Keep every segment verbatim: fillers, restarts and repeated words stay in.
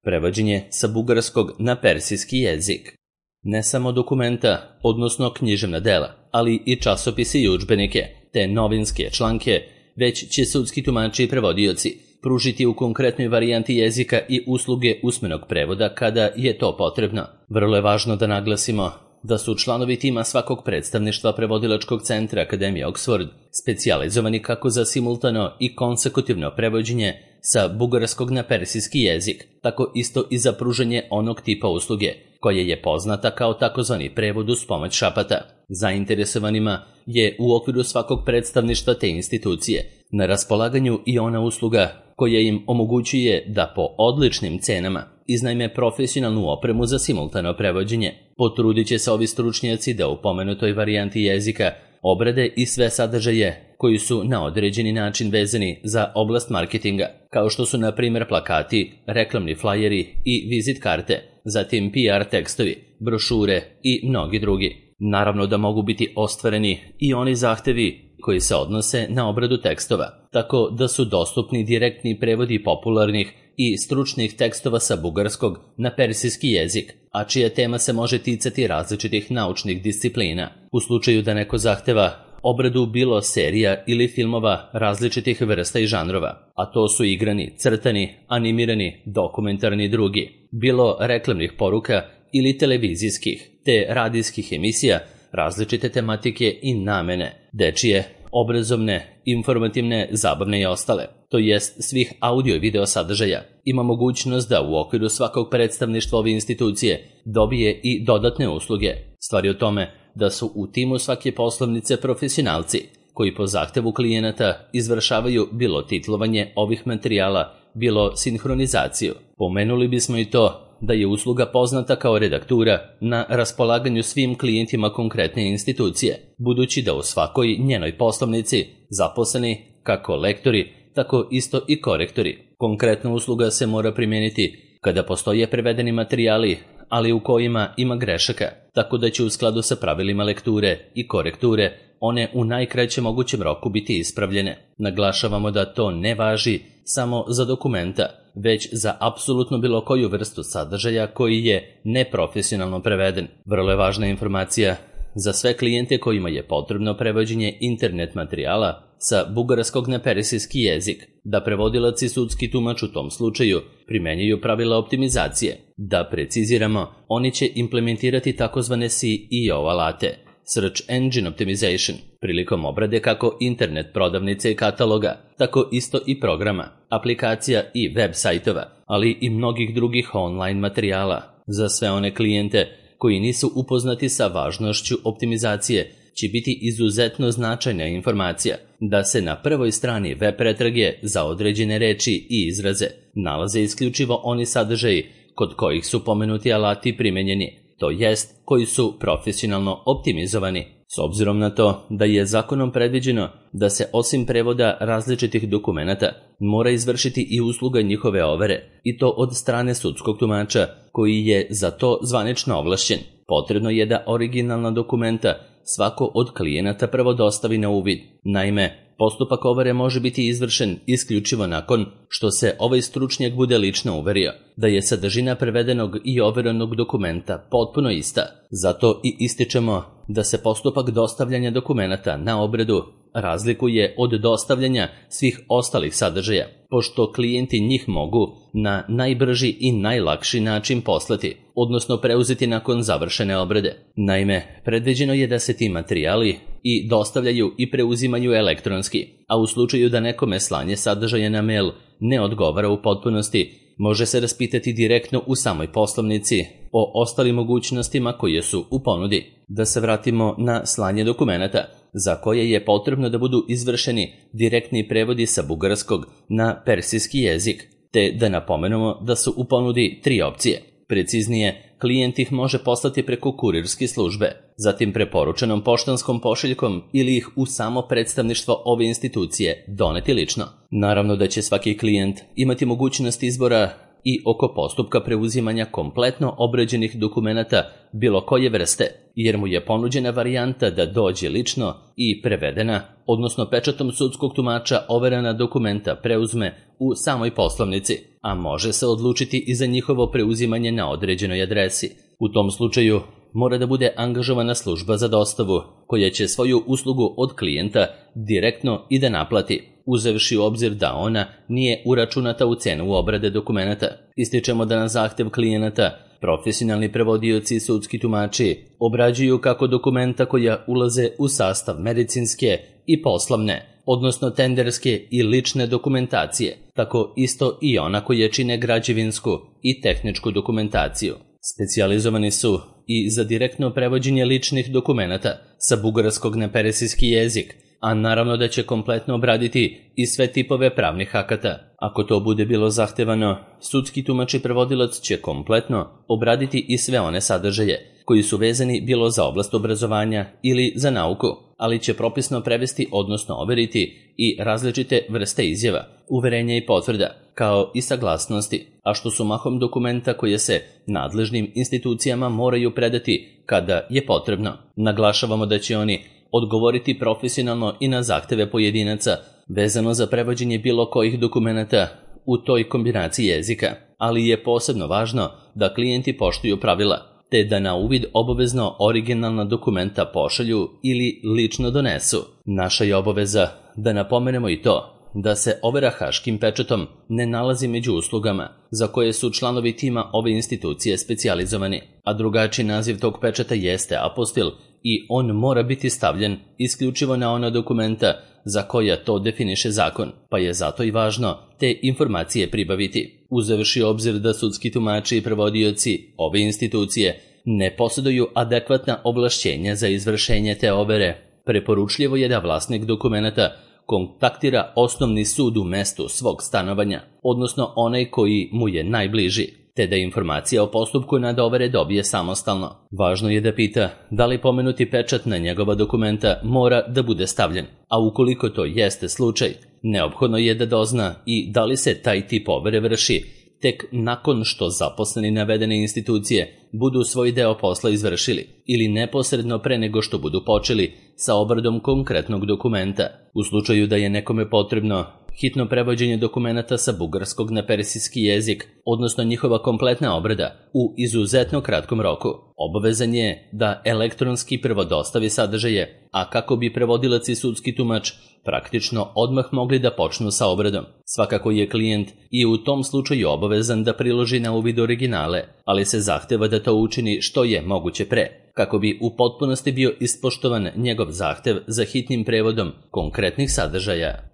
prevođenje sa bugarskog na persijski jezik. Ne samo dokumenta, odnosno književna dela, ali i časopise i udžbenike, te novinske članke, već će sudski tumači i prevodioci pružiti u konkretnoj varijanti jezika i usluge usmenog prevoda kada je to potrebno. Vrlo je važno da naglasimo da su članovi tima svakog predstavništva prevodilačkog centra Akademije Oxford specijalizovani kako za simultano i konsekutivno prevođenje sa bugarskog na persijski jezik, tako isto i za pružanje onog tipa usluge, koja je poznata kao takozvani prevod uz pomoć šapata. Zainteresovanima je u okviru svakog predstavništva te institucije na raspolaganju i ona usluga koja im omogućuje da po odličnim cenama iznajme profesionalnu opremu za simultano prevođenje. Potrudit će se ovi stručnjaci da u pomenutoj varijanti jezika obrade i sve sadržaje koji su na određeni način vezani za oblast marketinga, kao što su na primjer plakati, reklamni flajeri i vizit karte, zatim P R tekstovi, brošure i mnogi drugi. Naravno da mogu biti ostvareni i oni zahtevi koji se odnose na obradu tekstova, tako da su dostupni direktni prevodi popularnih i stručnih tekstova sa bugarskog na persijski jezik, a čija tema se može ticati različitih naučnih disciplina. U slučaju da neko zahteva obradu bilo serija ili filmova različitih vrsta i žanrova, a to su igrani, crtani, animirani, dokumentarni i drugi, bilo reklamnih poruka ili televizijskih te radijskih emisija različite tematike i namene, dečije, obrazovne, informativne, zabavne i ostale, to jest svih audio i video sadržaja, ima mogućnost da u okviru svakog predstavništva ove institucije dobije i dodatne usluge. Stvar je o tome da su u timu svake poslovnice profesionalci koji po zahtevu klijenata izvršavaju bilo titlovanje ovih materijala, bilo sinhronizaciju. Pomenuli bismo i to da je usluga poznata kao redaktura na raspolaganju svim klijentima konkretne institucije, budući da u svakoj njenoj poslovnici zaposleni kako lektori, tako isto i korektori. Konkretna usluga se mora primijeniti kada postoje prevedeni materijali, ali u kojima ima grešaka, tako da će u skladu sa pravilima lekture i korekture one u najkraćem mogućem roku biti ispravljene. Naglašavamo da to ne važi samo za dokumenta, već za apsolutno bilo koju vrstu sadržaja koji je neprofesionalno preveden. Vrlo je važna informacija za sve klijente kojima je potrebno prevođenje internet materijala sa bugarskog na persijski jezik, da prevodilac i sudski tumač u tom slučaju primenjuju pravila optimizacije. Da preciziramo, oni će implementirati takozvane C E O alate, Search Engine Optimization, prilikom obrade kako internet prodavnice i kataloga, tako isto i programa, aplikacija i web sajtova, ali i mnogih drugih online materijala. Za sve one klijente koji nisu upoznati sa važnošću optimizacije, će biti izuzetno značajna informacija da se na prvoj strani web pretrage za određene reči i izraze nalaze isključivo oni sadržaji kod kojih su pomenuti alati primenjeni, to jest koji su profesionalno optimizovani. S obzirom na to da je zakonom predviđeno da se osim prevoda različitih dokumenata mora izvršiti i usluga njihove overe, i to od strane sudskog tumača koji je za to zvanično ovlašćen, potrebno je da originalna dokumenta svako od klijenata prvo dostavi na uvid. Naime, postupak overe može biti izvršen isključivo nakon što se ovaj stručnjak bude lično uverio da je sadržina prevedenog i overenog dokumenta potpuno ista. Zato i ističemo da se postupak dostavljanja dokumenata na obradu razlikuje od dostavljanja svih ostalih sadržaja, pošto klijenti njih mogu na najbrži i najlakši način poslati, odnosno preuzeti nakon završene obrade. Naime, predviđeno je da se ti materijali i dostavljaju i preuzimaju elektronski, a u slučaju da nekome slanje sadržaja na mail ne odgovara u potpunosti, može se raspitati direktno u samoj poslovnici o ostalim mogućnostima koje su u ponudi. Da se vratimo na slanje dokumenata, za koje je potrebno da budu izvršeni direktni prevodi sa bugarskog na persijski jezik, te da napomenemo da su u ponudi tri opcije. Preciznije, klijent ih može poslati preko kurirske službe, zatim preporučenom poštanskom pošiljkom ili ih u samo predstavništvo ove institucije doneti lično. Naravno da će svaki klijent imati mogućnost izbora i oko postupka preuzimanja kompletno obrađenih dokumenata bilo koje vrste, jer mu je ponuđena varijanta da dođe lično i prevedena, odnosno pečatom sudskog tumača overena dokumenta preuzme u samoj poslovnici, a može se odlučiti i za njihovo preuzimanje na određenoj adresi. U tom slučaju mora da bude angažovana služba za dostavu, koja će svoju uslugu od klijenta direktno i da naplati, uzevši u obzir da ona nije uračunata u cenu obrade dokumenata. Ističemo da na zahtev klijenata profesionalni prevodioci i sudski tumači obrađuju kako dokumenta koja ulaze u sastav medicinske i poslovne, odnosno tenderske i lične dokumentacije, tako isto i ona koje čine građevinsku i tehničku dokumentaciju. Specijalizovani su i za direktno prevođenje ličnih dokumenata sa bugarskog na persijski jezik, a naravno da će kompletno obraditi i sve tipove pravnih akata. Ako to bude bilo zahtevano, sudski tumač i prevodilac će kompletno obraditi i sve one sadržaje koji su vezani bilo za oblast obrazovanja ili za nauku, ali će propisno prevesti, odnosno overiti i različite vrste izjava, uverenja i potvrda, kao i saglasnosti, a što su mahom dokumenta koje se nadležnim institucijama moraju predati kada je potrebno. Naglašavamo da će oni odgovoriti profesionalno i na zahteve pojedinaca vezano za prevođenje bilo kojih dokumenata u toj kombinaciji jezika, ali je posebno važno da klijenti poštuju pravila, te da na uvid obavezno originalna dokumenta pošalju ili lično donesu. Naša je obaveza da napomenemo i to da se overa haškim pečatom ne nalazi među uslugama za koje su članovi tima ove institucije specijalizovani, a drugačiji naziv tog pečata jeste apostil i on mora biti stavljen isključivo na ona dokumenta za koja to definiše zakon, pa je zato i važno te informacije pribaviti. Uzevši obzir da sudski tumači i prevodioci ove institucije ne posjeduju adekvatna ovlašćenja za izvršenje te overe, preporučljivo je da vlasnik dokumenta kontaktira osnovni sud u mestu svog stanovanja, odnosno onaj koji mu je najbliži, te da informacija o postupku nad overe dobije samostalno. Važno je da pita da li pomenuti pečat na njegova dokumenta mora da bude stavljen, a ukoliko to jeste slučaj, neophodno je da dozna i da li se taj tip overe vrši tek nakon što zaposleni navedene institucije budu svoj deo posla izvršili ili neposredno pre nego što budu počeli sa obradom konkretnog dokumenta. U slučaju da je nekome potrebno hitno prevođenje dokumenata sa bugarskog na persijski jezik, odnosno njihova kompletna obrada, u izuzetno kratkom roku, obavezan je da elektronski prvo dostavi sadržaje, a kako bi prevodilac i sudski tumač praktično odmah mogli da počnu sa obradom. Svakako je klijent i u tom slučaju obavezan da priloži na uvid originale, ali se zahteva da to učini što je moguće pre, kako bi u potpunosti bio ispoštovan njegov zahtev za hitnim prevodom konkretnih sadržaja.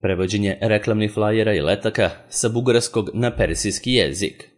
Prevođenje reklamnih flajera i letaka sa bugarskog na persijski jezik.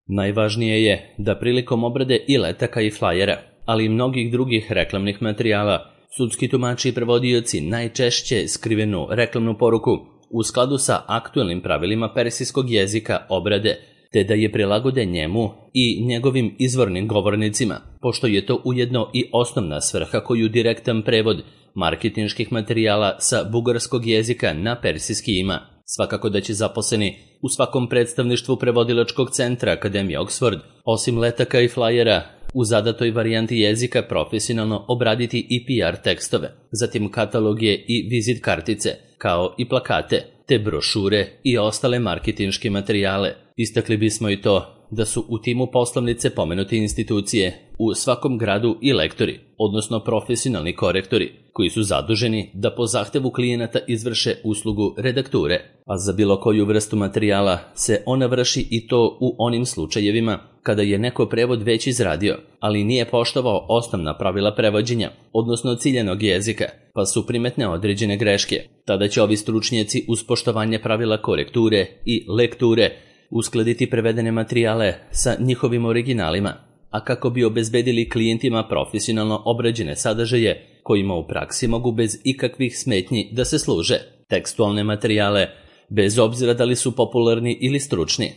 Najvažnije je da prilikom obrade i letaka i flajera, ali i mnogih drugih reklamnih materijala, sudski tumači i prevodioci najčešće skrivenu reklamnu poruku u skladu sa aktuelnim pravilima persijskog jezika obrade, te da je prilagode njemu i njegovim izvornim govornicima, pošto je to ujedno i osnovna svrha koju direktan prevod marketinških materijala sa bugarskog jezika na persijski ima. Svakako da će zaposleni u svakom predstavništvu prevodilačkog centra Akademije Oxford, osim letaka i flajera, u zadatoj varijanti jezika profesionalno obraditi i P R tekstove, zatim kataloge i vizit kartice, kao i plakate, te brošure i ostale marketinške materijale. Istakli bismo i to da su u timu poslovnice pomenute institucije u svakom gradu i lektori, odnosno profesionalni korektori, koji su zaduženi da po zahtevu klijenata izvrše uslugu redakture, a za bilo koju vrstu materijala se ona vrši i to u onim slučajevima kada je neko prevod već izradio, ali nije poštovao osnovna pravila prevođenja, odnosno ciljanog jezika, pa su primetne određene greške. Tada će ovi stručnjaci uz poštovanje pravila korekture i lekture uskladiti prevedene materijale sa njihovim originalima, a kako bi obezbedili klijentima profesionalno obrađene sadržaje kojima u praksi mogu bez ikakvih smetnji da se služe. Tekstualne materijale, bez obzira da li su popularni ili stručni,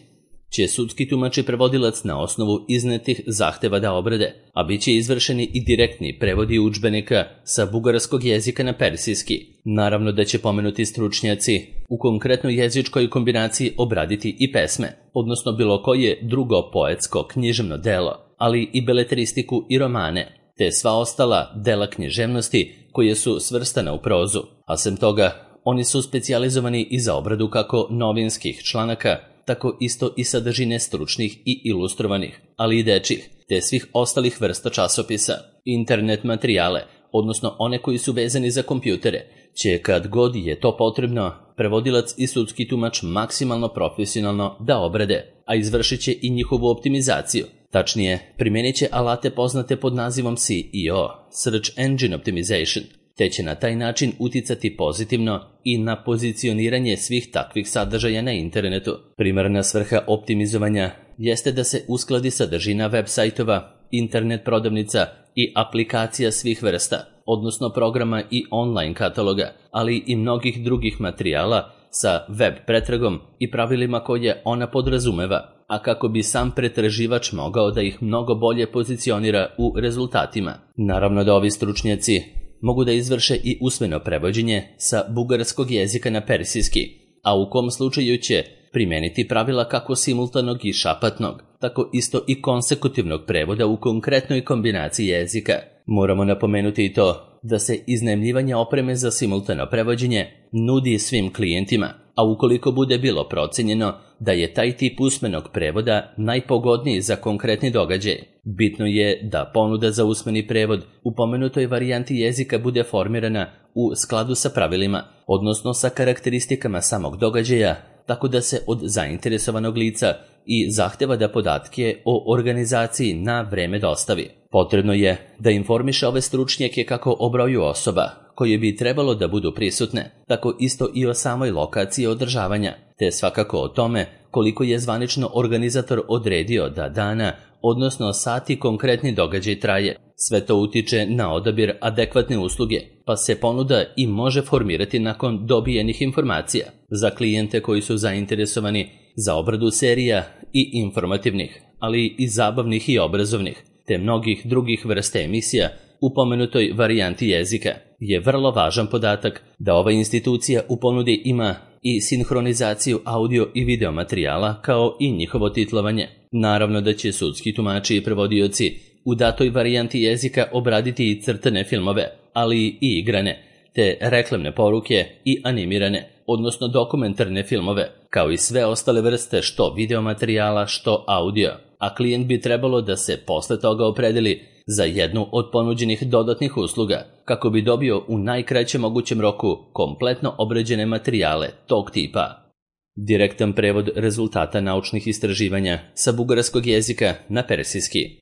će sudski tumač i prevodilac na osnovu iznetih zahteva da obrade, a bit će izvršeni i direktni prevodi udžbenika sa bugarskog jezika na persijski. Naravno da će pomenuti stručnjaci u konkretnoj jezičkoj kombinaciji obraditi i pesme, odnosno bilo koje drugo poetsko književno delo, ali i beletristiku i romane, te sva ostala dela književnosti koje su svrstana u prozu, a sem toga oni su specijalizovani i za obradu kako novinskih članaka, tako isto i sadržine stručnih i ilustrovanih, ali i dečjih, te svih ostalih vrsta časopisa. Internet materijale, odnosno one koji su vezani za kompjutere, će kad god je to potrebno, prevodilac i sudski tumač maksimalno profesionalno da obrade, a izvršit će i njihovu optimizaciju. Tačnije, primjenit će alate poznate pod nazivom S E O, Search Engine Optimization, te će na taj način uticati pozitivno i na pozicioniranje svih takvih sadržaja na internetu. Primarna svrha optimizovanja jeste da se uskladi sadržina web sajtova, internet prodavnica i aplikacija svih vrsta, odnosno programa i online kataloga, ali i mnogih drugih materijala sa web pretragom i pravilima koje ona podrazumeva, a kako bi sam pretraživač mogao da ih mnogo bolje pozicionira u rezultatima. Naravno da ovi stručnjaci mogu da izvrše i usmeno prevođenje sa bugarskog jezika na persijski, a u kom slučaju će primeniti pravila kako simultanog i šapatnog, tako isto i konsekutivnog prevoda u konkretnoj kombinaciji jezika. Moramo napomenuti i to da se iznajmljivanje opreme za simultano prevođenje nudi svim klijentima, a ukoliko bude bilo procenjeno da je taj tip usmenog prevoda najpogodniji za konkretni događaj, bitno je da ponuda za usmeni prevod u pomenutoj varijanti jezika bude formirana u skladu sa pravilima, odnosno sa karakteristikama samog događaja, tako da se od zainteresovanog lica i zahteva da podatke o organizaciji na vreme dostavi. Potrebno je da informiše ove stručnjake kako o broju osoba koje bi trebalo da budu prisutne, tako isto i o samoj lokaciji održavanja, te svakako o tome koliko je zvanično organizator odredio da dana, odnosno sati konkretni događaj traje. Sve to utiče na odabir adekvatne usluge, pa se ponuda i može formirati nakon dobijenih informacija za klijente koji su zainteresovani za obradu serija i informativnih, ali i zabavnih i obrazovnih, te mnogih drugih vrsta emisija u pomenutoj varijanti jezika. Je vrlo važan podatak da ova institucija u ponudi ima i sinhronizaciju audio i video materijala kao i njihovo titlovanje. Naravno da će sudski tumači i prevodioci u datoj varijanti jezika obraditi i crtane filmove, ali i igrane, te reklamne poruke i animirane, odnosno dokumentarne filmove, kao i sve ostale vrste što video materijala, što audio, a klijent bi trebalo da se posle toga opredeli za jednu od ponuđenih dodatnih usluga, kako bi dobio u najkraćem mogućem roku kompletno obrađene materijale tog tipa. Direktan prevod rezultata naučnih istraživanja sa bugarskog jezika na persijski.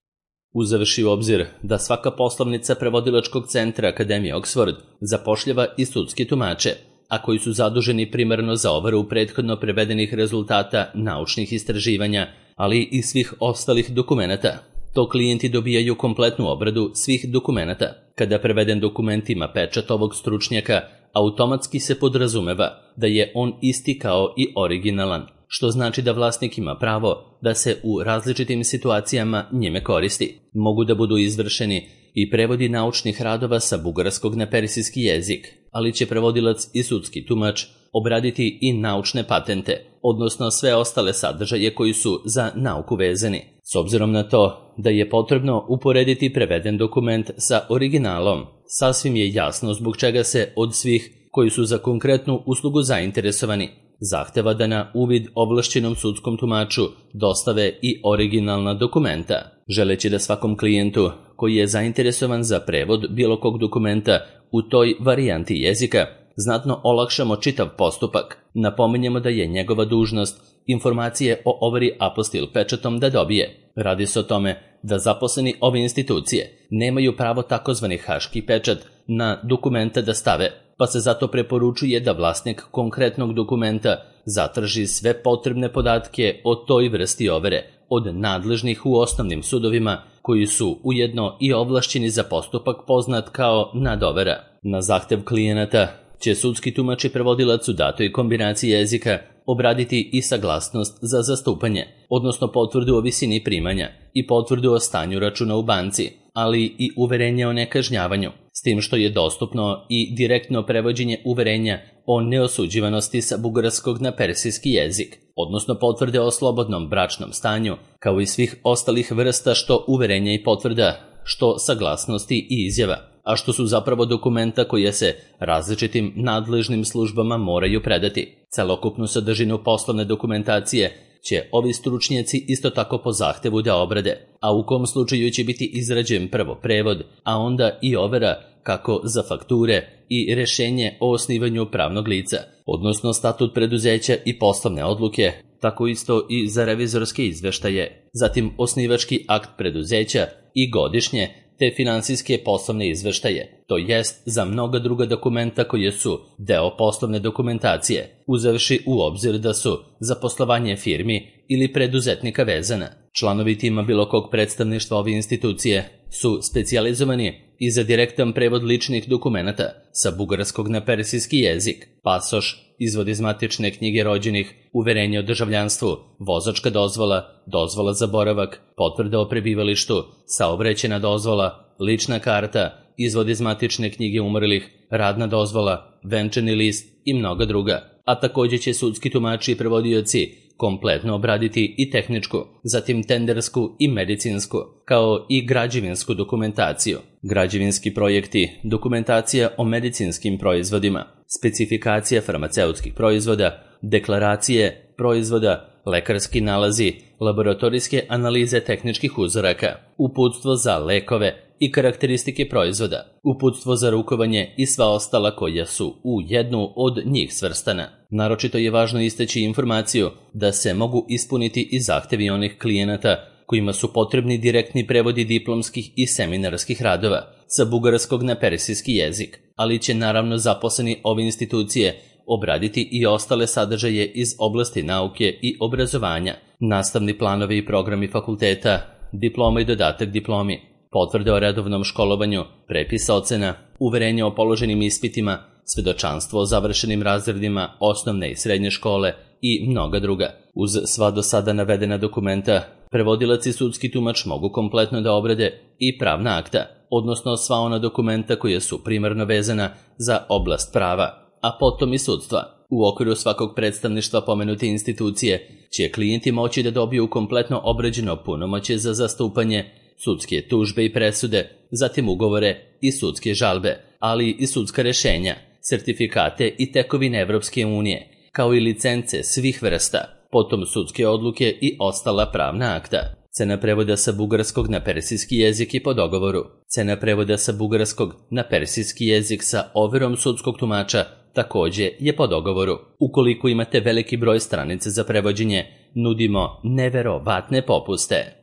Uzevši u obzir da svaka poslovnica prevodilačkog centra Akademije Oxford zapošljava i sudski tumače, a koji su zaduženi primarno za overu prethodno prevedenih rezultata naučnih istraživanja, ali i svih ostalih dokumenata, to klijenti dobijaju kompletnu obradu svih dokumenata. Kada preveden dokument ima pečat ovog stručnjaka, automatski se podrazumeva da je on isti kao i originalan, što znači da vlasnik ima pravo da se u različitim situacijama njime koristi. Mogu da budu izvršeni i prevodi naučnih radova sa bugarskog na persijski jezik, ali će prevodilac i sudski tumač obraditi i naučne patente, odnosno sve ostale sadržaje koji su za nauku vezani. S obzirom na to da je potrebno uporediti preveden dokument sa originalom, sasvim je jasno zbog čega se od svih koji su za konkretnu uslugu zainteresovani zahteva da na uvid ovlašćenom sudskom tumaču dostave i originalna dokumenta, želeći da svakom klijentu koji je zainteresovan za prevod bilo kog dokumenta u toj varijanti jezika znatno olakšamo čitav postupak. Napominjemo da je njegova dužnost informacije o overi apostil pečatom da dobije. Radi se o tome da zaposleni ove institucije nemaju pravo takozvani haški pečat na dokumenta da stave, pa se zato preporučuje da vlasnik konkretnog dokumenta zatraži sve potrebne podatke o toj vrsti overe od nadležnih u osnovnim sudovima koji su ujedno i ovlašćeni za postupak poznat kao nadovera. Na zahtev klijenata će sudski tumač i prevodilac u datoj kombinaciji jezika obraditi i saglasnost za zastupanje, odnosno potvrdu o visini primanja i potvrdu o stanju računa u banci, ali i uverenje o nekažnjavanju, s tim što je dostupno i direktno prevođenje uverenja o neosuđivanosti sa bugarskog na persijski jezik, odnosno potvrde o slobodnom bračnom stanju, kao i svih ostalih vrsta što uverenja i potvrda, što saglasnosti i izjava, a što su zapravo dokumenta koje se različitim nadležnim službama moraju predati. Celokupnu sadržinu poslovne dokumentacije će ovi stručnjaci isto tako po zahtevu da obrade, a u kom slučaju će biti izrađen prvo prevod, a onda i overa kako za fakture i rešenje o osnivanju pravnog lica, odnosno statut preduzeća i poslovne odluke, tako isto i za revizorske izveštaje, zatim osnivački akt preduzeća i godišnje te finansijske poslovne izveštaje, to jest za mnoga druga dokumenta koje su deo poslovne dokumentacije, uzevši u obzir da su za poslovanje firmi ili preduzetnika vezana. Članovi tima bilo kog predstavništva ove institucije su specijalizovani i za direktan prevod ličnih dokumenata sa bugarskog na persijski jezik, pasoš, izvod iz matične knjige rođenih, uverenje o državljanstvu, vozačka dozvola, dozvola za boravak, potvrda o prebivalištu, saobraćajna dozvola, lična karta, izvod iz matične knjige umrlih, radna dozvola, venčani list i mnoga druga, a također će sudski tumači i prevodioci kompletno obraditi i tehničku, zatim tendersku i medicinsku, kao i građevinsku dokumentaciju, građevinski projekti, dokumentacija o medicinskim proizvodima, specifikacija farmaceutskih proizvoda, deklaracije proizvoda, lekarski nalazi, laboratorijske analize tehničkih uzoraka, uputstvo za lekove i karakteristike proizvoda, uputstvo za rukovanje i sva ostala koja su u jednu od njih svrstana. Naročito je važno istaći informaciju da se mogu ispuniti i zahtevi onih klijenata kojima su potrebni direktni prevodi diplomskih i seminarskih radova sa bugarskog na persijski jezik, ali će naravno zaposleni ove institucije obraditi i ostale sadržaje iz oblasti nauke i obrazovanja, nastavni planovi i programi fakulteta, diploma i dodatak diplomi, potvrde o redovnom školovanju, prepis ocena, uverenje o položenim ispitima, svedočanstvo o završenim razredima osnovne i srednje škole i mnoga druga. Uz sva do sada navedena dokumenta, prevodilac i sudski tumač mogu kompletno da obrade i pravna akta, odnosno sva ona dokumenta koja su primarno vezana za oblast prava, a potom i sudstva. U okviru svakog predstavništva pomenute institucije će klijenti moći da dobiju kompletno obrađeno punomoćje za zastupanje, sudske tužbe i presude, zatim ugovore i sudske žalbe, ali i sudska rešenja, sertifikate i tekovine Evropske unije, kao i licence svih vrsta, potom sudske odluke i ostala pravna akta. Cena prevoda sa bugarskog na persijski jezik je po dogovoru. Cena prevoda sa bugarskog na persijski jezik sa overom sudskog tumača također je po dogovoru. Ukoliko imate veliki broj stranica za prevođenje, nudimo neverovatne popuste.